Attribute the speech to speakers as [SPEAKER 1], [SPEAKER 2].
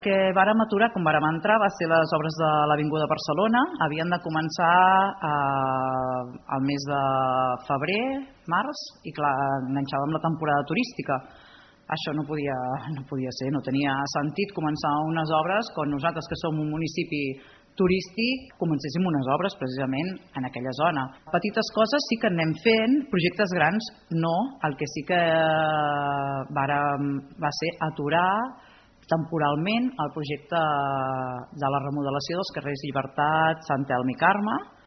[SPEAKER 1] Que vàrem aturar, com vàrem entrar, va ser les obres de l'Avinguda Barcelona. Havien de començar al mes de febrer, març, i clar, enganxàvem la temporada turística. Això no podia ser, no tenia sentit començar unes obres quan nosaltres, que som un municipi turístic, comencéssim unes obres precisament en aquella zona. Petites coses sí que anem fent, projectes grans no. El que sí que va ser aturar temporalment el projecte de la remodelació dels carrers Llibertat, Sant Elm i Carme,